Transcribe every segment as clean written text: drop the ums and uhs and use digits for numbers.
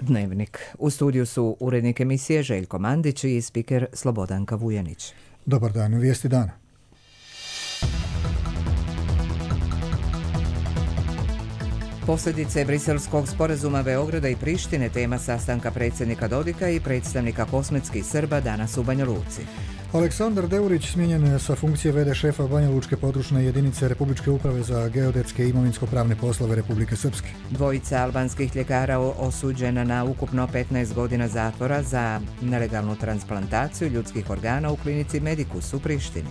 Dnevnik. U studiju su urednik emisije Željko Mandić i spiker Slobodanka Vujanić. Dobar dan, vijesti dana. Posljedice briselskog sporazuma Beograda i Prištine tema sastanka predsjednika Dodika i predstavnika kosmetskih Srba danas u Banja Luci. Aleksandar Deurić smijenjen sa funkcije v.d. šefa Banja Lučke područne jedinice Republičke uprave za geodetske i imovinsko-pravne poslove Republike Srpske. Dvojica albanskih ljekara osuđena na ukupno 15 godina zatvora za nelegalnu transplantaciju ljudskih organa u klinici Medikus u Prištini.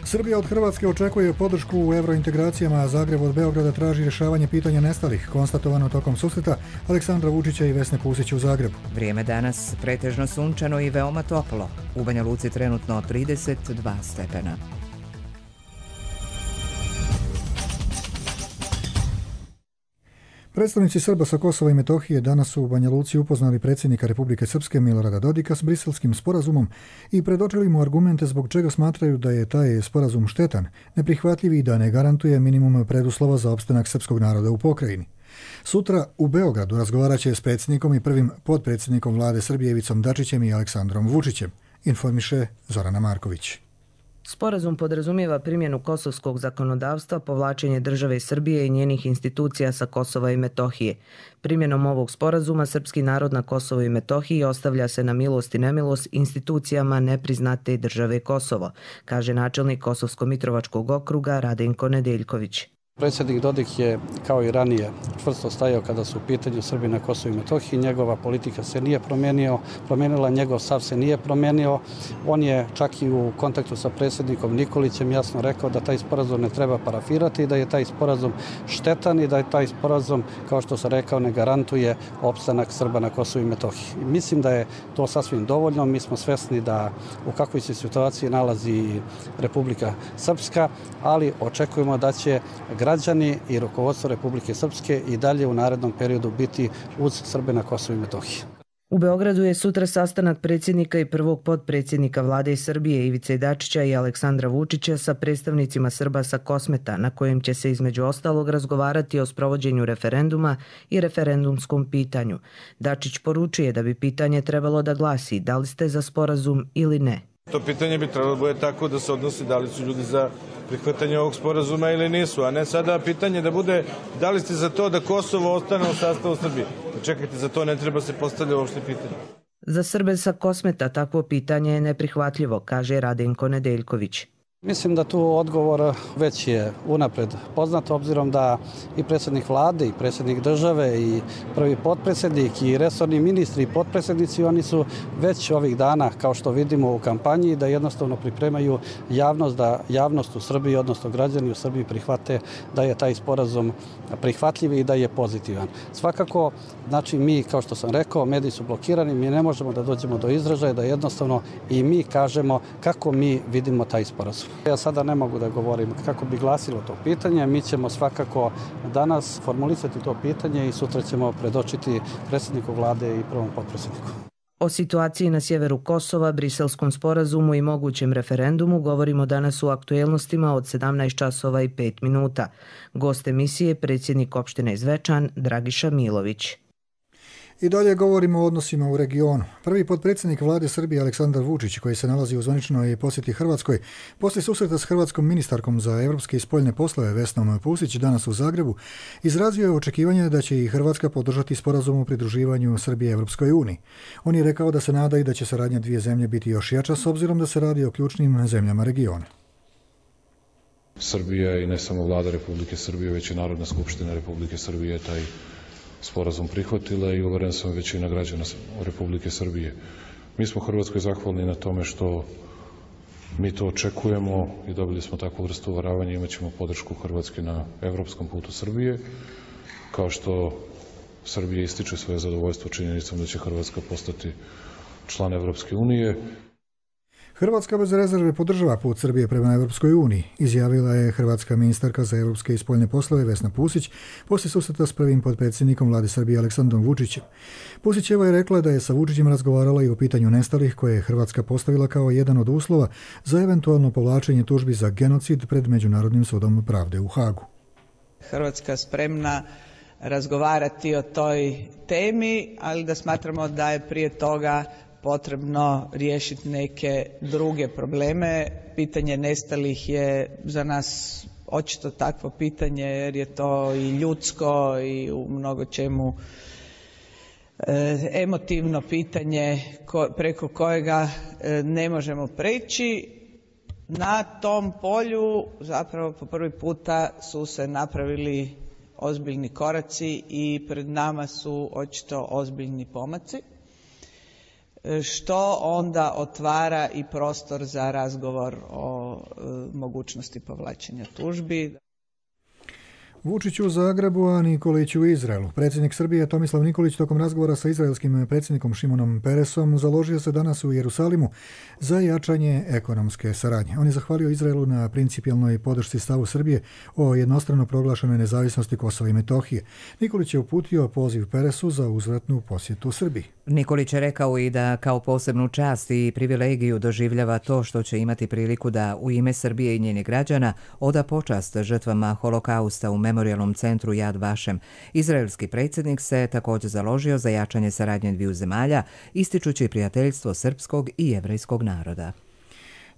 Srbija od Hrvatske očekuje podršku u eurointegracijama, a Zagreb od Beograda traži rješavanje pitanja nestalih, konstatovano tokom susreta Aleksandra Vučića i Vesne Pusić u Zagrebu. Vrijeme danas pretežno sunčano i veoma toplo. U Banja Luci trenutno 32 stepena. Predstavnici Srba sa Kosova i Metohije danas su u Banja Luci upoznali predsjednika Republike Srpske Milorada Dodika s briselskim sporazumom i predočili mu argumente zbog čega smatraju da je taj sporazum štetan, neprihvatljiv i da ne garantuje minimum preduslova za opstanak srpskog naroda u pokrajini. Sutra u Beogradu razgovarat će s predsjednikom i prvim potpredsjednikom vlade Srbije Ivicom Dačićem i Aleksandrom Vučićem, informiše Zorana Marković. Sporazum podrazumijeva primjenu kosovskog zakonodavstva, povlačenje države Srbije i njenih institucija sa Kosova i Metohije. Primjenom ovog sporazuma srpski narod na Kosovo i Metohiji ostavlja se na milost i nemilost institucijama nepriznate države Kosovo, kaže načelnik Kosovsko-Mitrovačkog okruga Radenko Nedeljković. Predsjednik Dodik je, kao i ranije, čvrsto stajao kada su u pitanju Srbi na Kosovu i Metohiji. Njegova politika se nije promijenila, njegov stav se nije promijenio. On je čak i u kontaktu sa predsjednikom Nikolićem jasno rekao da taj sporazum ne treba parafirati, da je taj sporazum štetan i da je taj sporazum, kao što sam rekao, ne garantuje opstanak Srba na Kosovu i Metohiji. Mislim da je to sasvim dovoljno. Mi smo svesni da u kakvoj se situaciji nalazi Republika Srpska, ali očekujemo da će građani i rukovodstvo Republike Srpske i dalje u narednom periodu biti uz Srbe na Kosovu i Metohiji. U Beogradu je sutra sastanak predsjednika i prvog potpredsjednika vlade Srbije Ivice Dačića i Aleksandra Vučića sa predstavnicima Srba sa Kosmeta, na kojem će se između ostalog razgovarati o sprovođenju referenduma i referendumskom pitanju. Dačić poručuje da bi pitanje trebalo da glasi da li ste za sporazum ili ne. To pitanje bi trebalo bude tako da se odnosi da li su ljudi za prihvatanje ovog sporazuma ili nisu, a ne sada pitanje da bude da li ste za to da Kosovo ostane u sastavu Srbije. Čekajte, za to ne treba se postavljati uopšte pitanje. Za Srbe sa Kosmeta takvo pitanje je neprihvatljivo, kaže Radenko Nedeljković. Mislim da tu odgovor već je unapred poznat, obzirom da i predsjednik vlade, i predsjednik države, i prvi potpredsjednik, i resorni ministri, i potpredsjednici, oni su već ovih dana, kao što vidimo u kampanji, da jednostavno pripremaju javnost, da javnost u Srbiji, odnosno građani u Srbiji prihvate da je taj sporazum prihvatljiv i da je pozitivan. Svakako, znači mi, kao što sam rekao, mediji su blokirani, mi ne možemo da dođemo do izražaja, da jednostavno i mi kažemo kako mi vidimo taj sporazum. Ja sada ne mogu da govorim kako bi glasilo to pitanje. Mi ćemo svakako danas formulisati to pitanje i sutra ćemo predočiti predsjedniku vlade i prvom potpredsjedniku. O situaciji na sjeveru Kosova, briselskom sporazumu i mogućem referendumu govorimo danas u aktuelnostima od 17 časova i 5 minuta. Gost emisije predsjednik opštine Zvečan Dragiša Milović. I dalje govorimo o odnosima u regionu. Prvi potpredsjednik vlade Srbije Aleksandar Vučić, koji se nalazi u zvaničnoj posjeti Hrvatskoj, poslije susreta s hrvatskom ministarkom za europske i spoljne poslove Vesnom Pusić danas u Zagrebu, izrazio je očekivanje da će i Hrvatska podržati sporazum o pridruživanju Srbije Europskoj uniji. On je rekao da se nada i da će saradnja dvije zemlje biti još jača s obzirom da se radi o ključnim zemljama regiona. Srbija i ne samo vlada Republike Srbije, već i Narodna skupština Republike Srbije taj sporazum prihvatila i uveren sam većina građana Republike Srbije. Mi smo Hrvatskoj zahvalni na tome što mi to očekujemo i dobili smo takvu vrstu uvaravanja i imat ćemo podršku Hrvatske na evropskom putu Srbije, kao što Srbija ističe svoje zadovoljstvo činjenicom da će Hrvatska postati član Evropske unije. Hrvatska bez rezerve podržava put Srbije prema Europskoj uniji, izjavila je hrvatska ministarka za europske i spoljne poslove Vesna Pusić poslije susreta s prvim potpredsjednikom vlade Srbije Aleksandrom Vučićem. Pusićeva je rekla da je sa Vučićem razgovarala i o pitanju nestalih koje je Hrvatska postavila kao jedan od uslova za eventualno povlačenje tužbi za genocid pred Međunarodnim sudom pravde u Hagu. Hrvatska spremna razgovarati o toj temi, ali da smatramo da je prije toga potrebno riješiti neke druge probleme. Pitanje nestalih je za nas očito takvo pitanje jer je to i ljudsko i u mnogo čemu emotivno pitanje preko kojega ne možemo preći. Na tom polju zapravo po prvi puta su se napravili ozbiljni koraci i pred nama su očito ozbiljni pomaci, što onda otvara i prostor za razgovor o mogućnosti povlačenja tužbi. Vučić u Zagrebu, a Nikolić u Izraelu. Predsjednik Srbije Tomislav Nikolić tokom razgovora sa izraelskim predsjednikom Šimonom Peresom založio se danas u Jerusalimu za jačanje ekonomske saradnje. On je zahvalio Izraelu na principijelnoj podršci stavu Srbije o jednostrano proglašenoj nezavisnosti Kosova i Metohije. Nikolić je uputio poziv Peresu za uzvratnu posjetu Srbiji. Nikolić je rekao i da kao posebnu čast i privilegiju doživljava to što će imati priliku da u ime Srbije i njenih građana oda počast žrtvama holokausta u memorijalnom centru Yad Vashem. Izraelski predsjednik se također založio za jačanje saradnje dviju zemalja, ističući prijateljstvo srpskog i jevrejskog naroda.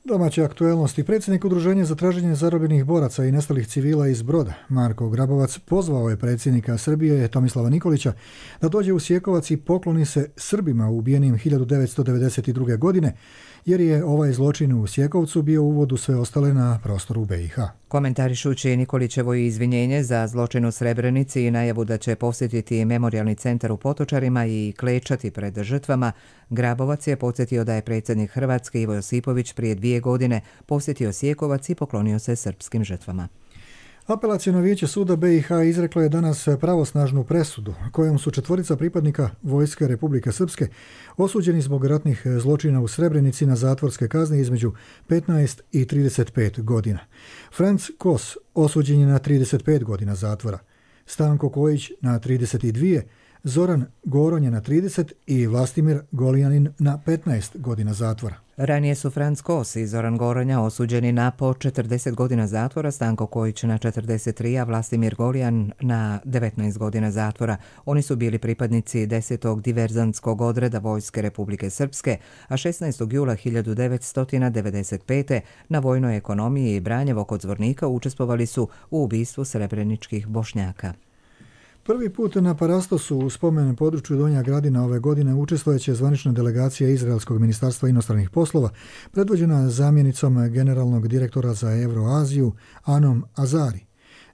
Domaće aktuelnosti. Predsjednik Udruženja za traženje zarobljenih boraca i nestalih civila iz Broda, Marko Grabovac, pozvao je predsjednika Srbije Tomislava Nikolića da dođe u Sjekovac i pokloni se Srbima ubijenim 1992. godine, jer je ovaj zločin u Sjekovcu bio uvod u sve ostale na prostoru BiH. Komentarišući Nikolićevo izvinjenje za zločin u Srebrenici i najavu da će posjetiti memorijalni centar u Potočarima i klečati pred žrtvama, Grabovac je podsjetio da je predsjednik Hrvatske Ivo Josipović prije 2 godine posjetio Sjekovac i poklonio se srpskim žrtvama. Apelaciono vijeće suda BiH izreklo je danas pravosnažnu presudu kojom su 4 pripadnika Vojske Republike Srpske osuđeni zbog ratnih zločina u Srebrenici na zatvorske kazne između 15 i 35 godina. Franc Kos osuđen je na 35 godina zatvora, Stanko Kojić na 32, Zoran Goron je na 30 i Vlastimir Goljanin na 15 godina zatvora. Ranije su Franc Kos i Zoran Goronja osuđeni na po 40 godina zatvora, Stanko Kojić na 43, a Vlastimir Goljan na 19 godina zatvora. Oni su bili pripadnici 10. diverzantskog odreda Vojske Republike Srpske, a 16. jula 1995. na vojnoj ekonomiji i Branjevo kod Zvornika učestvovali su u ubistvu srebreničkih Bošnjaka. Prvi put na Parastosu u spomen području Donja Gradina ove godine učestvojeće zvanična delegacija Izraelskog ministarstva inostranih poslova, predvođena zamjenicom generalnog direktora za Euroaziju Anom Azari.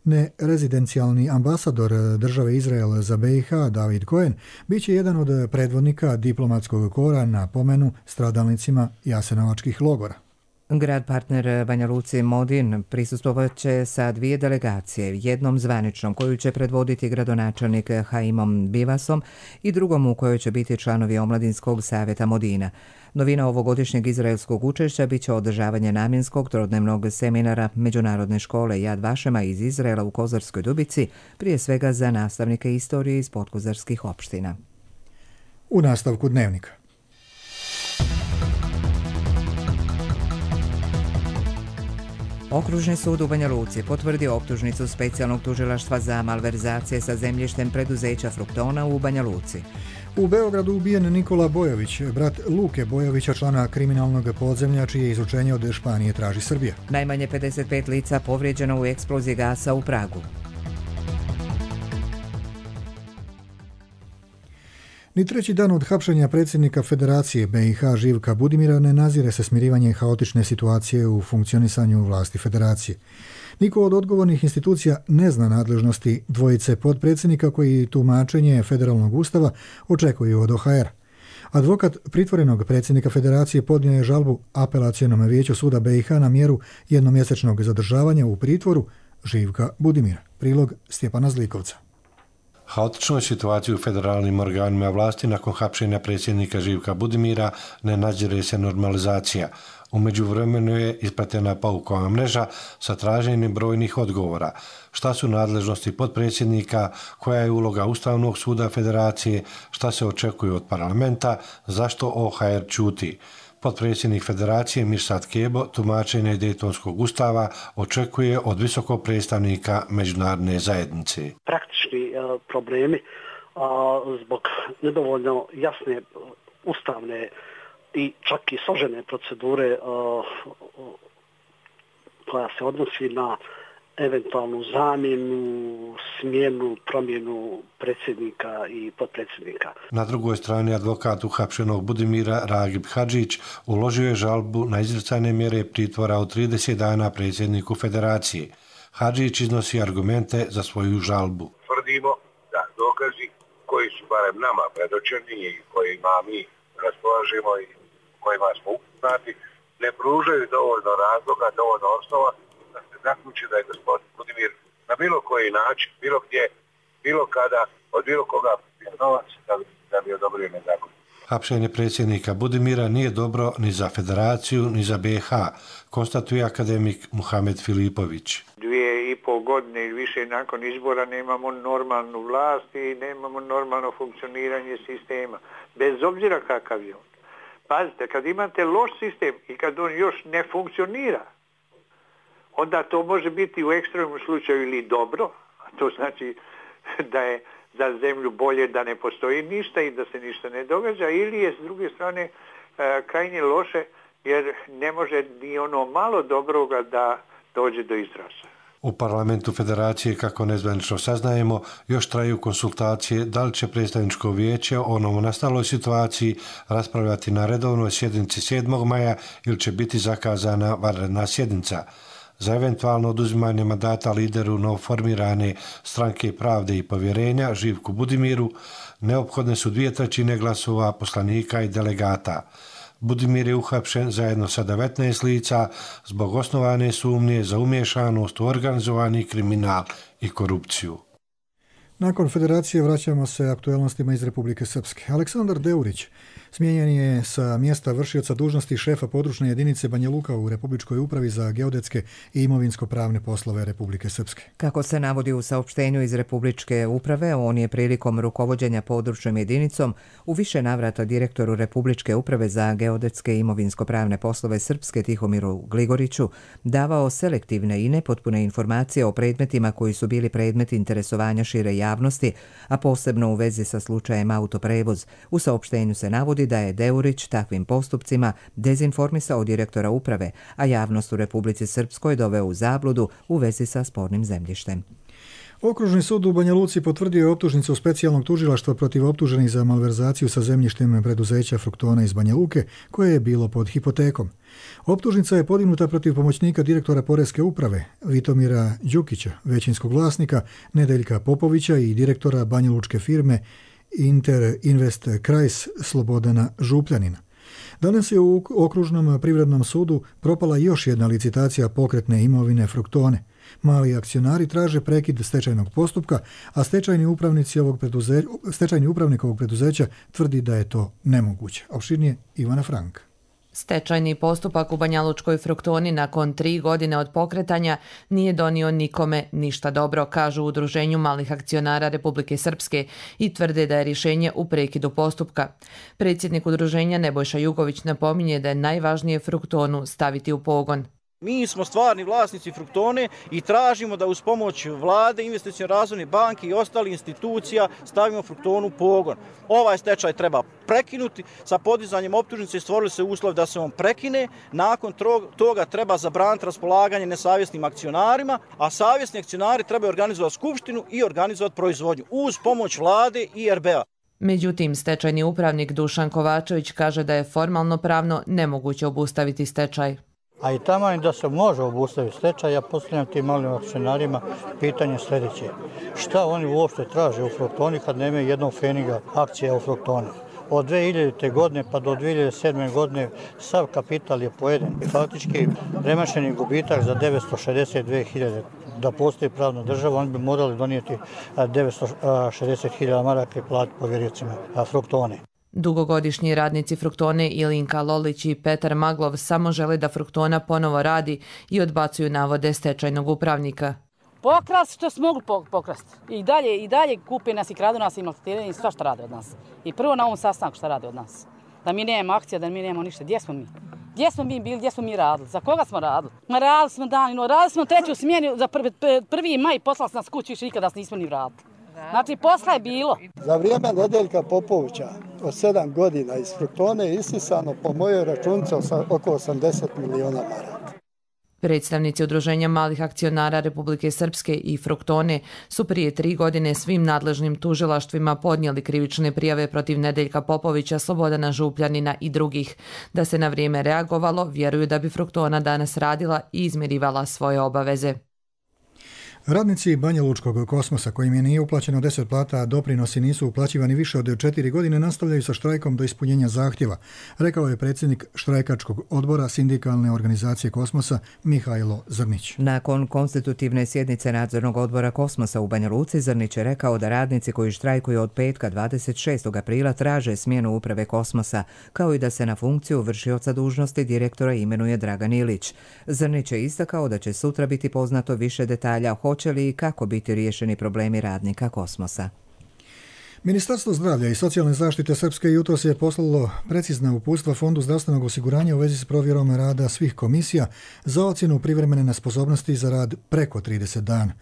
Nerezidencijalni ambasador države Izrael za BiH David Cohen bit će jedan od predvodnika diplomatskog kora na pomenu stradalnicima jasenovačkih logora. Grad partner Banja Luci Modin prisustvovat će sa 2 delegacije, jednom zvaničnom koju će predvoditi gradonačelnik Haimom Bivasom i drugom u kojoj će biti članovi Omladinskog savjeta Modina. Novina ovogodišnjeg izraelskog učešća bit će održavanje namjenskog trodnevnog seminara Međunarodne škole Yad Vashema iz Izraela u Kozarskoj Dubici, prije svega za nastavnike istorije iz podkozarskih opština. U nastavku dnevnika. Okružni sud u Banja Luci potvrdio optužnicu specijalnog tužilaštva za malverzacije sa zemljištem preduzeća Fruktona u Banja Luci. U Beogradu ubijen Nikola Bojović, brat Luke Bojovića, člana kriminalnog podzemlja čije izučenje od Španije traži Srbija. Najmanje 55 lica povrijeđeno u eksploziji gasa u Pragu. Ni treći dan od hapšenja predsjednika Federacije BiH Živka Budimira ne nazire se smirivanje haotične situacije u funkcionisanju vlasti Federacije. Niko od odgovornih institucija ne zna nadležnosti dvojice potpredsjednika koji tumačenje federalnog ustava očekuju od OHR. Advokat pritvorenog predsjednika Federacije podnio je žalbu apelacionom vijeću suda BiH na mjeru jednomjesečnog zadržavanja u pritvoru Živka Budimira. Prilog Stjepana Zlikovca. Haotičnoj situaciji u federalnim organima vlasti nakon hapšenja predsjednika Živka Budimira ne nadzire se normalizacija. U međuvremenu je ispratena paukova mreža sa traženjem brojnih odgovora. Šta su nadležnosti potpredsjednika, koja je uloga Ustavnog suda Federacije, šta se očekuje od parlamenta, zašto OHR ćuti. Potpredsjednik Federacije Mirsad Kebo tumačenje Dejtonskog ustava očekuje od visokog predstavnika međunarodne zajednice. Praktični problemi zbog nedovoljno jasne ustavne i čak i složene procedure koja se odnosi na eventualnu zamjenu, smjenu, promjenu predsjednika i potpredsjednika. Na drugoj strani advokat uhapšenog Budimira Ragib Hadžić uložio je žalbu na izricanje mjere pritvora od 30 dana predsjedniku Federacije. Hadžić iznosi argumente za svoju žalbu. Tvrdimo da dokazi koji su barem nama predočeni i kojima mi raspolažemo i kojima smo upoznati ne pružaju dovoljno razloga, dovoljno osnova da se zaključi da je gospodin Budimir na bilo koji način, bilo gdje, bilo kada, od bilo koga novac da bi odobrio nezakonito. Hapšenje predsjednika Budimira nije dobro ni za Federaciju, ni za BiH, konstatuje akademik Muhamed Filipović. 2,5 godine i više nakon izbora nemamo normalnu vlast i nemamo normalno funkcioniranje sistema, bez obzira kakav je on. Pazite, kad imate loš sistem i kad on još ne funkcionira, onda to može biti u ekstremnom slučaju ili dobro, a to znači da je za zemlju bolje da ne postoji ništa i da se ništa ne događa, ili je s druge strane krajnje loše jer ne može ni ono malo dobroga da dođe do izraza. U parlamentu Federacije, kako nezvanično saznajemo, još traju konsultacije da li će predstavničko vijeće o novonastaloj situaciji raspravljati na redovnoj sjednici 7. maja ili će biti zakazana vanredna sjednica. Za eventualno oduzimanje mandata lideru novoformirane Stranke pravde i povjerenja Živku Budimiru neophodne su 2/3 glasova poslanika i delegata. Budimir je uhapšen zajedno sa 19 lica zbog osnovane sumnje za umiješanost u organizovani kriminal i korupciju. Nakon Federacije vraćamo se aktuelnostima iz Republike Srpske. Aleksandar Deurić smijenjen je sa mjesta vršioca dužnosti šefa područne jedinice Banja Luka u Republičkoj upravi za geodetske i imovinsko-pravne poslove Republike Srpske. Kako se navodi u saopštenju iz Republičke uprave, on je prilikom rukovođenja područnom jedinicom u više navrata direktoru Republičke uprave za geodetske i imovinsko-pravne poslove Srpske Tihomiru Gligoriću davao selektivne i nepotpune informacije o predmetima koji su bili predmet interesovanja šire javnosti, a posebno u vezi sa slučajem Autoprevoz. U saopštenju se navodi da je Deurić takvim postupcima dezinformisao direktora uprave, a javnost u Republici Srpskoj doveo u zabludu u vezi sa spornim zemljištem. Okružni sud u Banja Luci potvrdio je optužnicu specijalnog tužilaštva protiv optuženih za malverzaciju sa zemljištem preduzeća Fruktona iz Banja Luke, koje je bilo pod hipotekom. Optužnica je podignuta protiv pomoćnika direktora Poreske uprave Vitomira Đukića, većinskog vlasnika Nedeljka Popovića i direktora banjalučke firme Inter Invest Krajs Slobodana Župljanina. Danas je u Okružnom privrednom sudu propala još jedna licitacija pokretne imovine Fruktone. Mali akcionari traže prekid stečajnog postupka, a stečajni upravnik ovog preduzeća tvrdi da je to nemoguće. Opširnije Ivana Frank. Stečajni postupak u Banjalučkoj Fruktoni nakon 3 godine od pokretanja nije donio nikome ništa dobro, kažu u Udruženju malih akcionara Republike Srpske i tvrde da je rješenje u prekidu postupka. Predsjednik udruženja Nebojša Jugović napominje da je najvažnije Fruktonu staviti u pogon. Mi smo stvarni vlasnici Fruktone i tražimo da uz pomoć vlade, investicione razvojne banke i ostalih institucija stavimo Fruktonu u pogon. Ovaj stečaj treba prekinuti, sa podizanjem optužnice stvorili se uslov da se on prekine, nakon toga treba zabraniti raspolaganje nesavjesnim akcionarima, a savjesni akcionari trebaju organizovati skupštinu i organizovati proizvodnju uz pomoć vlade i RBA. Međutim, stečajni upravnik Dušan Kovačević kaže da je formalno pravno nemoguće obustaviti stečaj. A i tamo da se može obustaviti stečaj, ja postavljam tim malim akcionarima pitanje sljedeće. Šta oni uopšte traže u Fruktoni kad nemaju jednog pfeniga akcija u Fruktoni? Od 2000. godine pa do 2007. godine sav kapital je pojeden. Faktički premašeni gubitak za 962.000. Da postoji pravna država, oni bi morali donijeti 960.000 maraka i platiti povjericima Fruktone. Dugogodišnji radnici Fruktone Ilinka Lolić i Petar Maglov samo žele da Fruktona ponovo radi i odbacuju navode stečajnog upravnika. Pokrast što su mogli pokrasti. I dalje kupe nas i kradu nas i maltretiraju i sva što rade od nas. I prvo na ovom sastanku što rade od nas. Da mi nemamo akcija, da mi nemamo ništa. Gdje smo mi? Gdje smo mi bili, gdje smo mi radili? Za koga smo radili? Radili smo danino, radili smo treću smjenu za 1. maj, poslali smo nas kući, više nikada nismo ni vratili. Znači, posla je bilo. Za vrijeme Nedeljka Popovića od 7 godina iz Fruktone je isisano po mojoj računici oko 80 miliona maraka. Predstavnici Udruženja malih akcionara Republike Srpske i Fruktone su prije 3 godine svim nadležnim tužilaštvima podnijeli krivične prijave protiv Nedeljka Popovića, Slobodana Župljanina i drugih. Da se na vrijeme reagovalo, vjeruju da bi Fruktona danas radila i izmirivala svoje obaveze. Radnici Banja Lučkog Kosmosa, kojim je nije uplaćeno 10 plata, a doprinosi nisu uplaćivani više od 4 godine, nastavljaju sa štrajkom do ispunjenja zahtjeva, rekao je predsjednik štrajkačkog odbora sindikalne organizacije Kosmosa Mihajlo Zrnić. Nakon konstitutivne sjednice nadzornog odbora Kosmosa u Banja Luci, Zrnić je rekao da radnici koji štrajkuju od petka 26. aprila traže smjenu uprave Kosmosa, kao i da se na funkciju vršioca dužnosti direktora imenuje Dragan Ilić. Zrnić je istakao da će sutra biti poznato više detalja hoće li i kako biti riješeni problemi radnika Kosmosa. Ministarstvo zdravlja i socijalne zaštite Srpske jutros je poslalo precizna uputstva Fondu zdravstvenog osiguranja u vezi s provjerom rada svih komisija za ocjenu privremene nesposobnosti za rad preko 30 dana.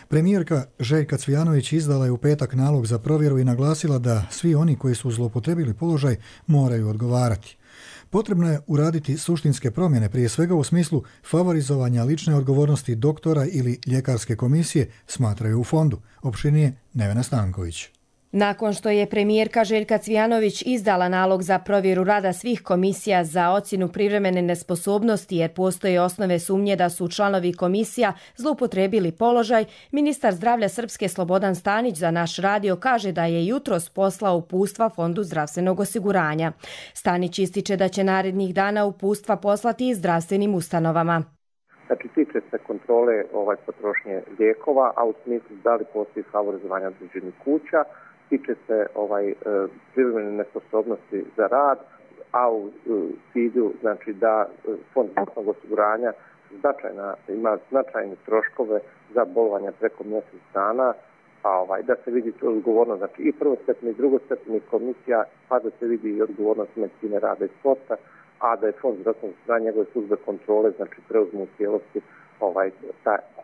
Premijerka Željka Cvijanović izdala je u petak nalog za provjeru i naglasila da svi oni koji su zloupotrebili položaj moraju odgovarati. Potrebno je uraditi suštinske promjene, prije svega u smislu favorizovanja lične odgovornosti doktora ili ljekarske komisije, smatraju u fondu. Opširnije Nevena Stanković. Nakon što je premijerka Željka Cvijanović izdala nalog za provjeru rada svih komisija za ocjenu privremene nesposobnosti jer postoje osnove sumnje da su članovi komisija zloupotrebili položaj, ministar zdravlja Srpske Slobodan Stanić za naš radio kaže da je jutros poslao uputstva Fondu zdravstvenog osiguranja. Stanić ističe da će narednih dana uputstva poslati i zdravstvenim ustanovama. Znači, tiče se kontrole potrošnje lijekova, a u smislu da li postoji favorizovanja određenih kuća, tiče se privremene nesposobnosti za rad, a u cilju znači da Fond zdravstvenog osiguranja ima značajne troškove za bolovanja preko mjesec dana, da se vidi odgovornost znači i prvostepeni i drugostepenih komisija, pa da se vidi i odgovornost medicine rada i sporta, a da je Fond zdravstvenog osiguranja njegove službe kontrole znači preuzmu u cijelosti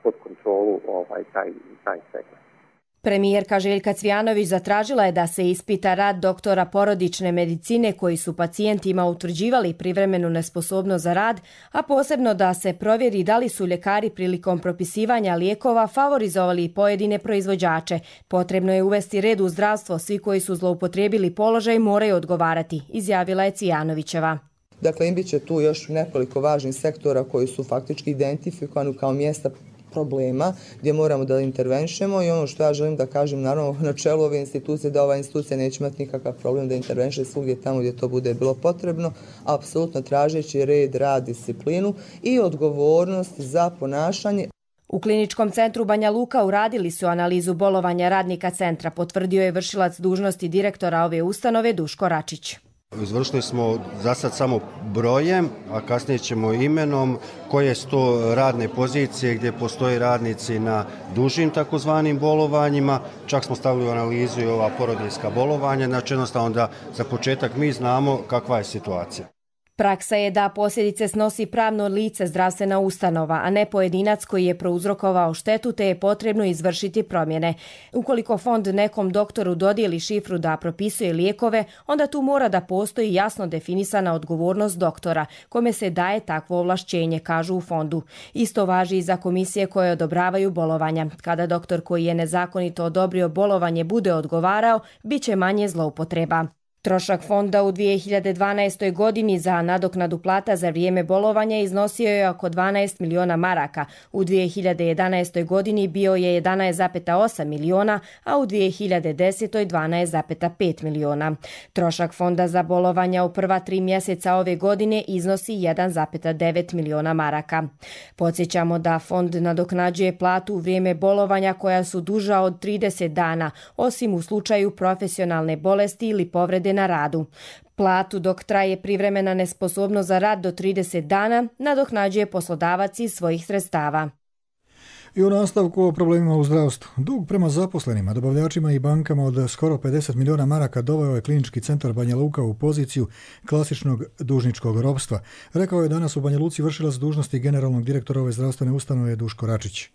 pod kontrolu taj segment. Premijerka Željka Cvijanović zatražila je da se ispita rad doktora porodične medicine koji su pacijentima utvrđivali privremenu nesposobnost za rad, a posebno da se provjeri da li su ljekari prilikom propisivanja lijekova favorizovali pojedine proizvođače. Potrebno je uvesti red u zdravstvo, svi koji su zloupotrijebili položaj moraju odgovarati, izjavila je Cvijanovićeva. Dakle, bit će tu još nekoliko važnih sektora koji su faktički identifikovani kao mjesta problema gdje moramo da intervenšemo i ono što ja želim da kažem naravno na čelu ove institucije da ova institucija neće imati nikakav problem da intervenše svugdje tamo gdje to bude bilo potrebno, apsolutno tražeći red, rad, disciplinu i odgovornost za ponašanje. U Kliničkom centru Banja Luka uradili su analizu bolovanja radnika centra, potvrdio je vršilac dužnosti direktora ove ustanove Duško Račić. Izvršili smo za sad samo brojem, a kasnije ćemo imenom koje su to radne pozicije gdje postoje radnici na dužim takozvanim bolovanjima. Čak smo stavili u analizu i ova porodiljska bolovanja, znači jednostavno da za početak mi znamo kakva je situacija. Praksa je da posljedice snosi pravno lice zdravstvena ustanova, a ne pojedinac koji je prouzrokovao štetu te je potrebno izvršiti promjene. Ukoliko fond nekom doktoru dodijeli šifru da propisuje lijekove, onda tu mora da postoji jasno definisana odgovornost doktora, kome se daje takvo ovlašćenje, kažu u fondu. Isto važi i za komisije koje odobravaju bolovanja. Kada doktor koji je nezakonito odobrio bolovanje bude odgovarao, bit će manje zloupotreba. Trošak fonda u 2012. godini za nadoknadu plata za vrijeme bolovanja iznosio je oko 12 miliona maraka. U 2011. godini bio je 11,8 miliona, a u 2010. 12,5 miliona. Trošak fonda za bolovanja u prva 3 mjeseca ove godine iznosi 1,9 miliona maraka. Podsjećamo da fond nadoknađuje platu u vrijeme bolovanja koja su duža od 30 dana, osim u slučaju profesionalne bolesti ili povrede na radu. Platu dok traje privremena nesposobnost za rad do 30 dana nadoknađuje poslodavac iz svojih sredstava. I u nastavku o problemima u zdravstvu. Dug prema zaposlenima, dobavljačima i bankama od skoro 50 miliona maraka doveo je Klinički centar Banja Luka u poziciju klasičnog dužničkog ropstva, rekao je danas u Banja Luci vršilac dužnosti generalnog direktora ove zdravstvene ustanove Duško Račić.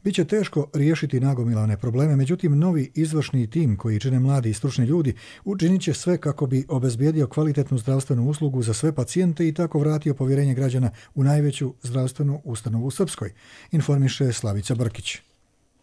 Biće teško riješiti nagomilane probleme, međutim novi izvršni tim koji čine mladi i stručni ljudi učinit će sve kako bi obezbijedio kvalitetnu zdravstvenu uslugu za sve pacijente i tako vratio povjerenje građana u najveću zdravstvenu ustanovu u Srpskoj, informiše Slavica Brkić.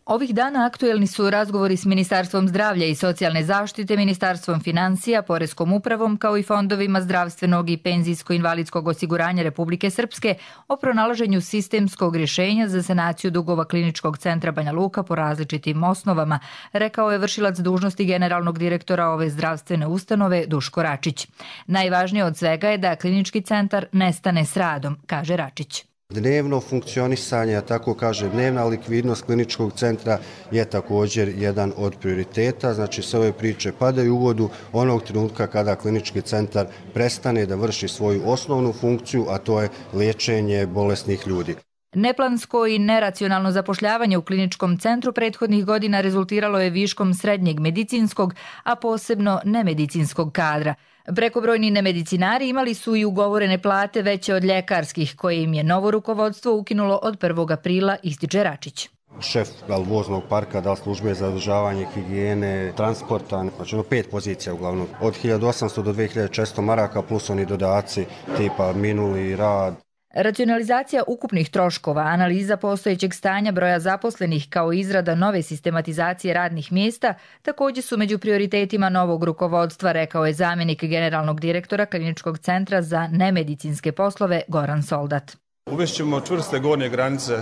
Ovih dana aktuelni su razgovori s Ministarstvom zdravlja i socijalne zaštite, Ministarstvom financija, Poreskom upravom, kao i fondovima zdravstvenog i penzijsko-invalidskog osiguranja Republike Srpske o pronalaženju sistemskog rješenja za sanaciju dugova Kliničkog centra Banja Luka po različitim osnovama, rekao je vršilac dužnosti generalnog direktora ove zdravstvene ustanove Duško Račić. Najvažnije od svega je da Klinički centar ne stane s radom, kaže Račić. Dnevno funkcionisanje, a tako kaže dnevna likvidnost kliničkog centra je također jedan od prioriteta. Znači sve ove priče padaju u vodu onog trenutka kada klinički centar prestane da vrši svoju osnovnu funkciju, a to je liječenje bolesnih ljudi. Neplansko i neracionalno zapošljavanje u kliničkom centru prethodnih godina rezultiralo je viškom srednjeg medicinskog, a posebno nemedicinskog kadra. Prekobrojni nemedicinari imali su i ugovorene plate veće od ljekarskih, koje im je novo rukovodstvo ukinulo od 1. aprila, ističe Račić. Šef voznog parka, da službe za održavanje higijene, transporta, znači 5 pozicija uglavnom, od 1800 do 2400 maraka plus oni dodaci tipa minuli rad. Racionalizacija ukupnih troškova, analiza postojećeg stanja broja zaposlenih kao izrada nove sistematizacije radnih mjesta također su među prioritetima novog rukovodstva, rekao je zamjenik generalnog direktora Kliničkog centra za nemedicinske poslove Goran Soldat. Uvešćemo čvrste gornje granice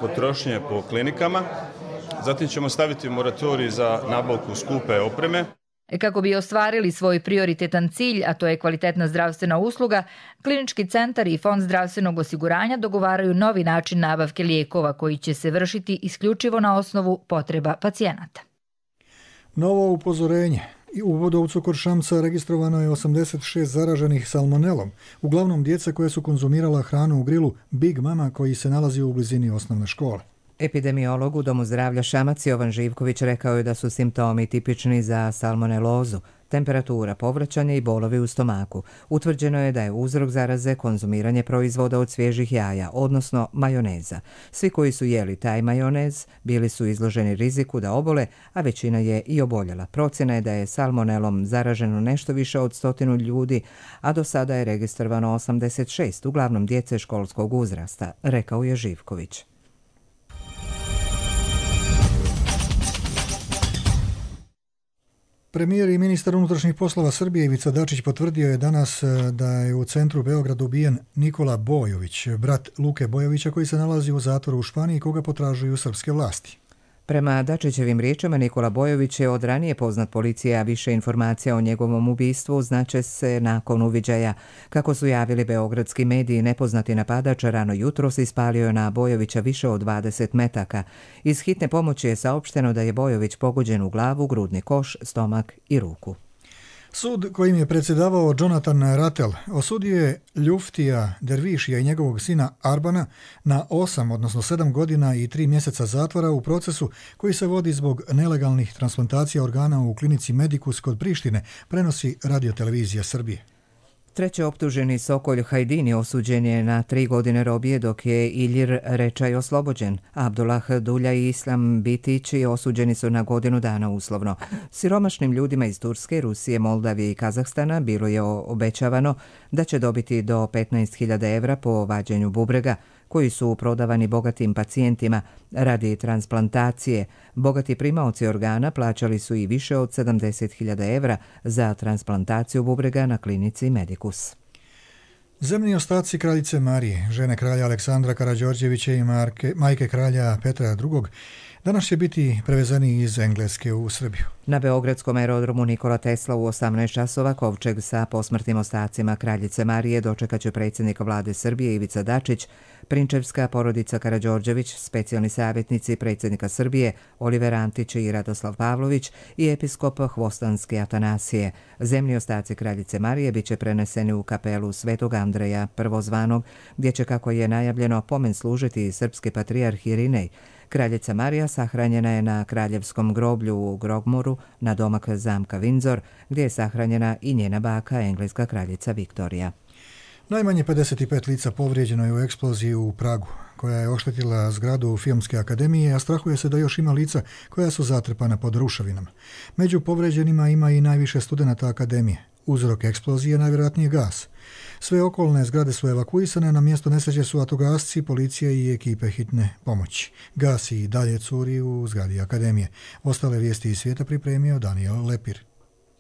potrošnje po klinikama, zatim ćemo staviti moratorij za nabavku skupe opreme. Kako bi ostvarili svoj prioritetan cilj, a to je kvalitetna zdravstvena usluga, Klinički centar i Fond zdravstvenog osiguranja dogovaraju novi način nabavke lijekova koji će se vršiti isključivo na osnovu potreba pacijenata. Novo upozorenje. U Vodovcu kod Šamca registrovano je 86 zaraženih salmonelom, uglavnom djeca koje su konzumirala hranu u grilu Big Mama koji se nalazi u blizini osnovne škole. Epidemiolog u Domu zdravlja Šamac Jovan Živković rekao je da su simptomi tipični za salmonelozu, temperatura, povraćanje i bolovi u stomaku. Utvrđeno je da je uzrok zaraze konzumiranje proizvoda od svježih jaja, odnosno majoneza. Svi koji su jeli taj majonez bili su izloženi riziku da obole, a većina je i oboljela. Procjena je da je salmonelom zaraženo nešto više od 100 ljudi, a do sada je registrovano 86, uglavnom djece školskog uzrasta, rekao je Živković. Premijer i ministar unutrašnjih poslova Srbije Ivica Dačić potvrdio je danas da je u centru Beograda ubijen Nikola Bojović, brat Luke Bojovića koji se nalazi u zatvoru u Španiji koga potražuju srpske vlasti. Prema Dačićevim riječima, Nikola Bojović je od ranije poznat policije, a više informacija o njegovom ubistvu znače se nakon uviđaja. Kako su javili beogradski mediji, nepoznati napadač rano jutros ispalio na Bojovića više od 20 metaka. Iz hitne pomoći je saopšteno da je Bojović pogođen u glavu, grudni koš, stomak i ruku. Sud kojim je predsjedavao Jonathan Rattel osudio je Ljuftija Dervišija i njegovog sina Arbana na 8, odnosno 7 godina i 3 mjeseca zatvora u procesu koji se vodi zbog nelegalnih transplantacija organa u klinici Medicus kod Prištine, prenosi Radiotelevizija Srbije. Treći optuženi Sokolj Hajdini osuđen je na 3 godine robije, dok je Ilir Rečaj oslobođen. Abdullah Dulja i Islam Bitići osuđeni su na godinu dana uslovno. Siromašnim ljudima iz Turske, Rusije, Moldavije i Kazahstana bilo je obećavano da će dobiti do 15.000 evra po vađenju bubrega, koji su prodavani bogatim pacijentima radi transplantacije. Bogati primaoci organa plaćali su i više od 70.000 evra za transplantaciju bubrega na klinici Medicus. Zemni ostaci kraljice Marije, žene kralja Aleksandra Karađorđevića i majke kralja Petra II. Danas će biti prevezeni iz Engleske u Srbiju. Na beogradskom aerodromu Nikola Tesla u 18 časova kovčeg sa posmrtnim ostacima kraljice Marije dočekat će predsjednik vlade Srbije Ivica Dačić, Prinčevska porodica Karađorđević, specijalni savjetnici predsjednika Srbije Oliver Antić i Radoslav Pavlović i episkop Hvostanski Atanasije. Zemlji ostaci kraljice Marije biće preneseni u kapelu Svetog Andreja Prvozvanog, gdje će, kako je najavljeno, pomen služiti i srpski patrijarh Irinej. Kraljica Marija sahranjena je na kraljevskom groblju u Grogmoru, na domak zamka Windsor, gdje je sahranjena i njena baka, engleska kraljica Viktorija. Najmanje 55 lica povrijeđeno je u eksploziji u Pragu, koja je oštetila zgradu Filmske akademije, a strahuje se da još ima lica koja su zatrpana pod ruševinama. Među povrijeđenima ima i najviše studenata akademije. Uzrok eksplozije je najvjerojatnije gas. Sve okolne zgrade su evakuisane, na mjesto nesreće su vatrogasci, policija i ekipe hitne pomoći. Gas i dalje curi u zgradi akademije. Ostale vijesti iz svijeta pripremio Daniel Lepir.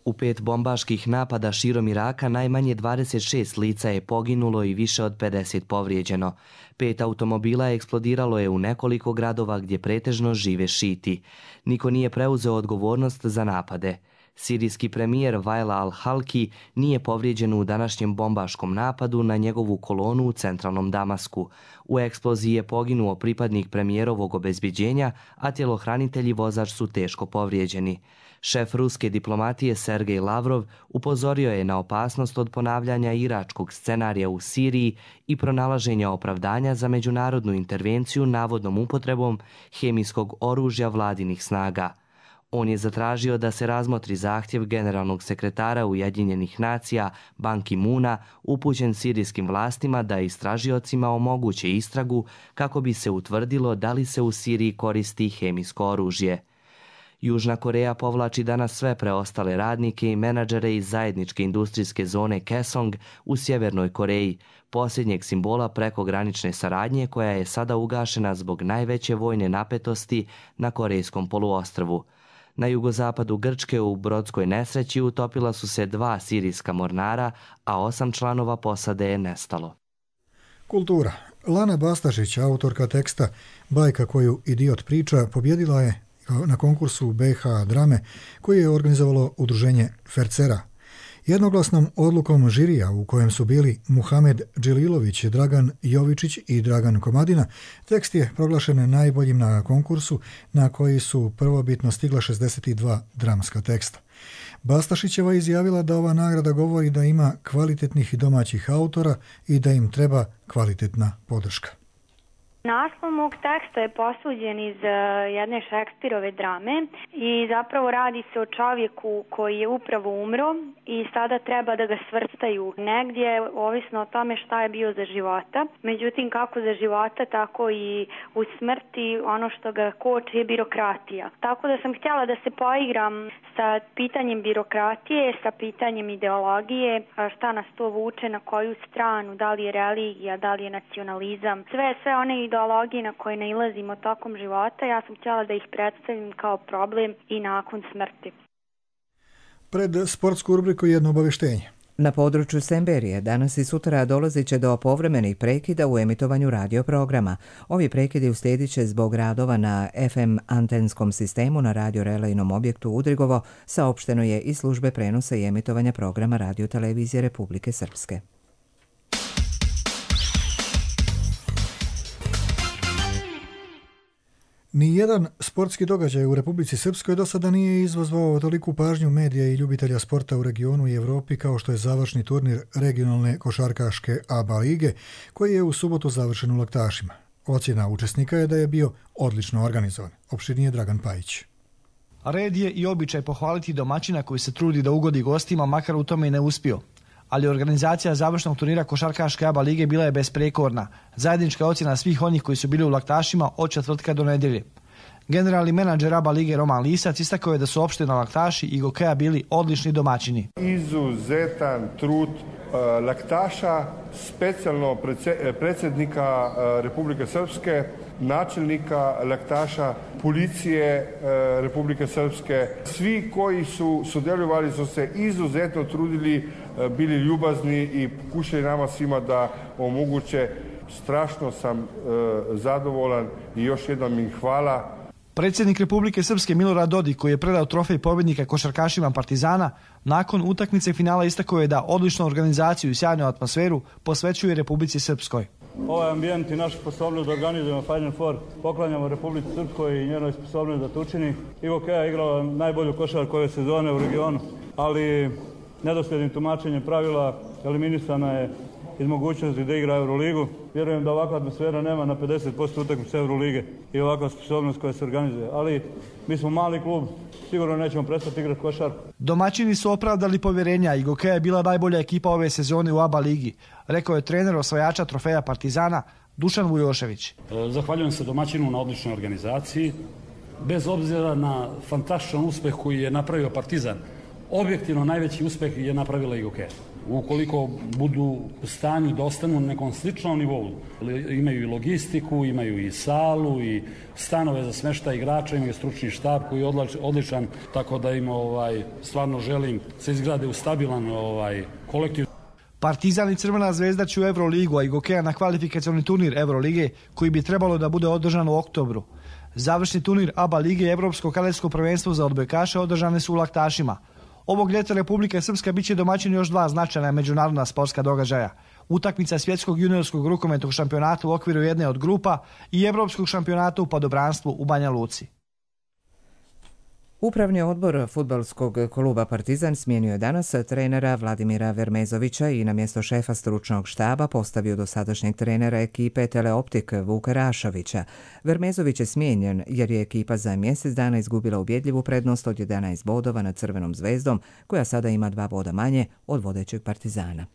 U 5 bombaških napada širom Iraka najmanje 26 lica je poginulo i više od 50 povrijeđeno. 5 automobila eksplodiralo je u nekoliko gradova gdje pretežno žive šiti. Niko nije preuzeo odgovornost za napade. Sirijski premijer Wael al-Halki nije povrijeđen u današnjem bombaškom napadu na njegovu kolonu u centralnom Damasku. U eksploziji je poginuo pripadnik premijerovog obezbeđenja, a tjelohranitelji i vozač su teško povrijeđeni. Šef ruske diplomatije Sergej Lavrov upozorio je na opasnost od ponavljanja iračkog scenarija u Siriji i pronalaženja opravdanja za međunarodnu intervenciju navodnom upotrebom hemijskog oružja vladinih snaga. On je zatražio da se razmotri zahtjev generalnog sekretara Ujedinjenih nacija Ban Ki-moona upućen sirijskim vlastima da istražiocima omoguće istragu kako bi se utvrdilo da li se u Siriji koristi hemijsko oružje. Južna Koreja povlači danas sve preostale radnike i menadžere iz zajedničke industrijske zone Kaesong u Sjevernoj Koreji, posljednjeg simbola prekogranične saradnje koja je sada ugašena zbog najveće vojne napetosti na Korejskom poluostrvu. Na jugozapadu Grčke u brodskoj nesreći utopila su se 2 sirijska mornara, a 8 članova posade je nestalo. Kultura. Lana Bastašić, autorka teksta Bajka koju idiot priča, pobjedila je na konkursu BH drame koji je organizovalo udruženje Fercera. Jednoglasnom odlukom žirija u kojem su bili Muhamed Dželilović, Dragan Jovičić i Dragan Komadina, tekst je proglašen najboljim na konkursu na koji su prvobitno stigla 62 dramska teksta. Bastašićeva izjavila da ova nagrada govori da ima kvalitetnih domaćih autora i da im treba kvalitetna podrška. Naslov mog teksta je posuđen iz jedne Šekspirove drame i zapravo radi se o čovjeku koji je upravo umro i sada treba da ga svrstaju negdje, ovisno o tome šta je bio za života. Međutim, kako za života, tako i u smrti ono što ga koči je birokratija. Tako da sam htjela da se poigram sa pitanjem birokratije, sa pitanjem ideologije, šta nas to vuče, na koju stranu, da li je religija, da li je nacionalizam, sve one ideologije na koje nailazimo tokom života, ja sam htjela da ih predstavim kao problem i nakon smrti. Pred sportsku rubriku jedno obavještenje. Na području Semberije danas i sutra dolazit će do povremenih prekida u emitovanju radioprograma. Ovi prekidi uslijedit će zbog radova na FM antenskom sistemu na radiorelejnom objektu Udrigovo, saopšteno je iz službe prenosa i emitovanja programa Radio-televizije Republike Srpske. Nijedan sportski događaj u Republici Srpskoj do sada nije izazvao toliku pažnju medija i ljubitelja sporta u regionu i Evropi kao što je završni turnir regionalne košarkaške ABA lige, koji je u subotu završen u Laktašima. Ocjena učesnika je da je bio odlično organizovan. Opširnije Dragan Pajić. Red je i običaj pohvaliti domaćina koji se trudi da ugodi gostima, makar u tome i ne uspio. Ali organizacija završnog turnira košarkaške ABA lige bila je besprekorna. Zajednička ocjena svih onih koji su bili u Laktašima od četvrtka do nedjelje. Generalni menadžer ABA lige Roman Lisac istakao je da su opština Laktaši i Gokeja bili odlični domaćini. Izuzetan trud Laktaša, specijalno predsjednika Republike Srpske, načelnika Laktaša, policije Republike Srpske. Svi koji su sudjelovali su se izuzetno trudili, bili ljubazni i pokušali nama svima da omoguće. Strašno sam zadovoljan i još jednom im hvala. Predsjednik Republike Srpske Milorad Dodik, koji je predao trofej pobjednika košarkašima Partizana, nakon utakmice finala istakao je da odličnu organizaciju i sjajnu atmosferu posvećuje Republici Srpskoj. ovaj ambijent i našu sposobnost da organizujemo Final Four poklanjamo Republici Srpskoj i njenoj sposobnosti da to učini. IGOK je igrala najbolju košarku ove sezone u regionu, ali nedosljednim tumačenjem pravila eliminisana je iz mogućnosti da igra Euroligu. Vjerujem da ovakva atmosfera nema na 50% utakmica Eurolige i ovakva sposobnost koja se organizuje. Ali mi smo mali klub, sigurno nećemo prestati igrati košarku. Domaćini su opravdali povjerenja. IGOK je bila najbolja ekipa ove sezone u ABA ligi, rekao je trener osvajača trofeja Partizana Dušan Vujošević. Zahvaljujem se domaćinu na odličnoj organizaciji. Bez obzira na fantastičan uspeh koji je napravio Partizan, objektivno najveći uspeh je napravila IGOK. Ukoliko budu u stanju da ostanu na nekom sličnom nivou, imaju i logistiku, imaju i salu i stanove za smještaj igrača, imaju stručni štab koji je odličan, tako da im stvarno želim se izgrade u stabilan kolektiv. Partizan i Crvena zvezda će u Euroligu, a IGOK na kvalifikacioni turnir Eurolige koji bi trebalo da bude održan u oktobru. Završni turnir ABA lige i Evropsko kadetsko prvenstvo za odbojkaše održane su u Laktašima. Ovog ljeta Republika Srpska biće domaćin još dva značajna međunarodna sportska događaja. Utakmica svjetskog juniorskog rukometnog šampionata u okviru jedne od grupa i evropskog šampionata u padobranstvu u Banja Luci. Upravni odbor fudbalskog kluba Partizan smijenio je danas trenera Vladimira Vermezovića i na mjesto šefa stručnog štaba postavio dosadašnjeg trenera ekipe Teleoptik Vuka Rašovića. Vermezović je smijenjen jer je ekipa za mjesec dana izgubila ubjedljivu prednost od 11 bodova nad Crvenom zvezdom, koja sada ima 2 boda manje od vodećeg Partizana.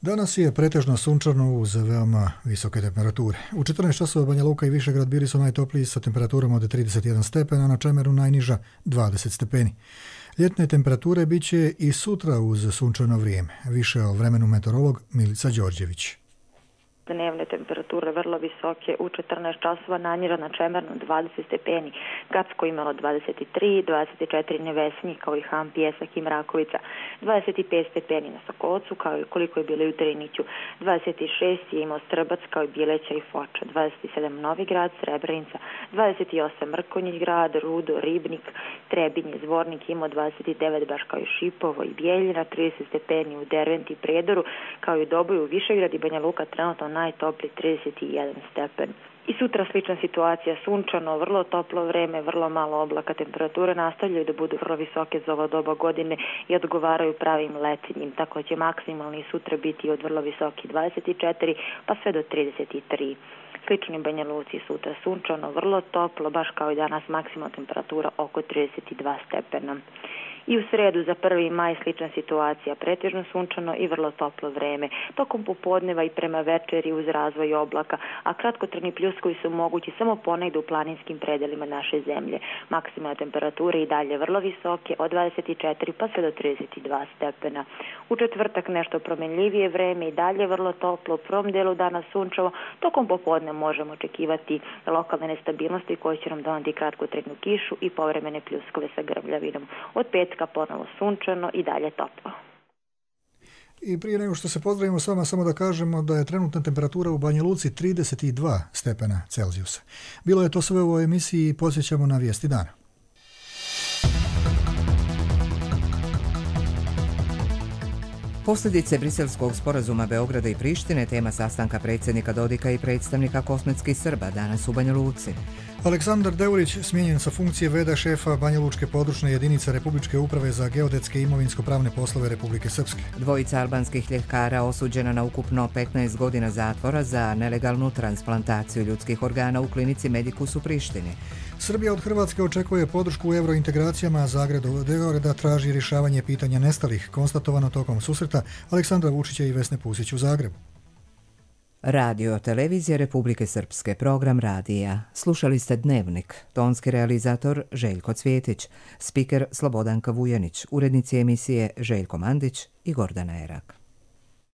Danas je pretežno sunčano uz veoma visoke temperature. U 14 časova Banja Luka i Višegrad bili su najtopliji sa temperaturom od 31 stepena, na Čemeru najniža 20 stepeni. Ljetne temperature bit će i sutra uz sunčano vrijeme. Više o vremenu meteorolog Milica Đorđević. Dnevne temperature vrlo visoke, u 14 časova Nanjira na Čemernu 20 stepeni, Gacko imalo 23, 24 Nevesinji kao i Han, Pjesak i Mrakovica, 25 stepeni na Sokolcu kao i koliko je bilo u Driniću, 26 je imao Strbac kao i Bileća i Foča, 27 Novigrad, Srebrenica, 28 Mrkonjić grad, Rudo, Ribnik, Trebinje, Zvornik imao 29 baš kao i Šipovo i Bijeljina, 30 stepeni u Derventi i Predoru kao i u Doboju, Višegrad i Banja Luka trenutno najtopliji 31 stepen. I sutra slična situacija, sunčano, vrlo toplo vreme, vrlo malo oblaka, temperature nastavljaju da budu vrlo visoke za ovo doba godine i odgovaraju pravim letinjim, tako će maksimalni sutra biti od vrlo visoki 24 pa sve do 33. Slični Banja Luci sutra sunčano, vrlo toplo, baš kao i danas maksimalna temperatura oko 32 stepena. I u sredu za 1. maj slična situacija, pretežno sunčano i vrlo toplo vreme. Tokom popodneva i prema večeri uz razvoj oblaka, a kratkotrajni pljuskovi su mogući samo ponegde u planinskim predelima naše zemlje. Maksimalne temperature i dalje vrlo visoke, od 24 pa sve do 32 stepena. U četvrtak nešto promenljivije vreme i dalje vrlo toplo, u prvom delu dana sunčavo, tokom popodne možemo očekivati lokalne nestabilnosti koje će nam donati kratkotrajnu kišu i povremene pljuskove sa grmljavinom. Od petka ponovo sunčano i dalje toplo. I prije nego što se pozdravimo s vama, samo da kažemo da je trenutna temperatura u Banja Luci 32 stepena Celzijusa. Bilo je to sve u ovoj emisiji i podsjećamo na vijesti dana. Posljedice briselskog sporazuma Beograda i Prištine, tema sastanka predsjednika Dodika i predstavnika kosmetskih Srba danas u Banja Luci. Aleksandar Deurić smijenjen sa funkcije v.d. šefa Banja Lučke područne jedinice Republičke uprave za geodetske i imovinsko-pravne poslove Republike Srpske. Dvojica albanskih ljekara osuđena na ukupno 15 godina zatvora za nelegalnu transplantaciju ljudskih organa u klinici Medikus u Prištini. Srbija od Hrvatske očekuje podršku u eurointegracijama, a Zagreb od Beograda traži rješavanje pitanja nestalih, konstatovano tokom susreta Aleksandra Vučića i Vesne Pusić u Zagrebu. Radio televizija Republike Srpske, program radija. Slušali ste Dnevnik, tonski realizator Željko Cvjetić, spiker Slobodanka Vujanić, urednici emisije Željko Mandić i Gordana Erak.